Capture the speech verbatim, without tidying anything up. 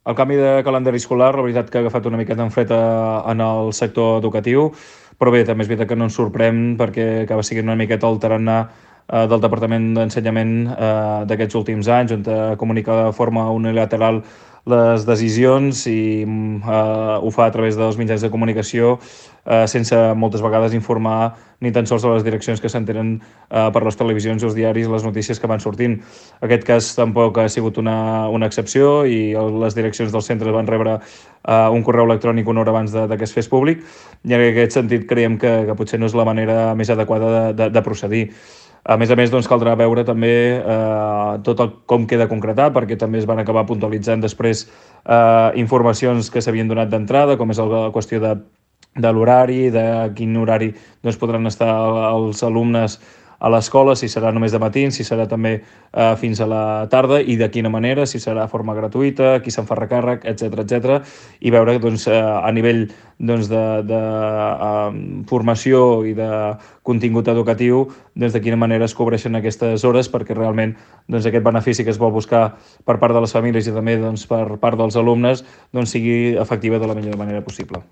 El canvi de calendari escolar, la veritat que ha agafat una miqueta en fred en el sector educatiu, però bé, també és veritat que no ens sorprèn perquè acaba sent una miqueta el tarannà eh, del Departament d'Ensenyament eh, d'aquests últims anys, on comunica de forma unilateral les decisions i eh, ho fa a través dels mitjans de comunicació eh, sense moltes vegades informar ni tan sols a les direccions que s'entenen eh, per les televisions i els diaris les notícies que van sortint. Aquest cas tampoc ha sigut una, una excepció i el, les direccions dels centres van rebre eh, un correu electrònic una hora abans de, de que es fes públic i en aquest sentit creiem que, que potser no és la manera més adequada de, de, de procedir. A més a més, doncs, caldrà veure també eh, tot el, com queda concretat, perquè també es van acabar puntualitzant després eh, informacions que s'havien donat d'entrada, com és la qüestió de, de l'horari, de quin horari doncs, podran estar els alumnes a l'escola, si serà només de matins, si serà també eh, fins a la tarda i de quina manera, si serà de forma gratuïta, qui se'n fa recàrrec, etcètera, etcètera, i veure doncs, eh, a nivell doncs, de, de eh, formació i de contingut educatiu doncs, de quina manera es cobreixen aquestes hores perquè realment doncs, aquest benefici que es vol buscar per part de les famílies i també doncs, per part dels alumnes doncs, sigui efectiva de la millor manera possible.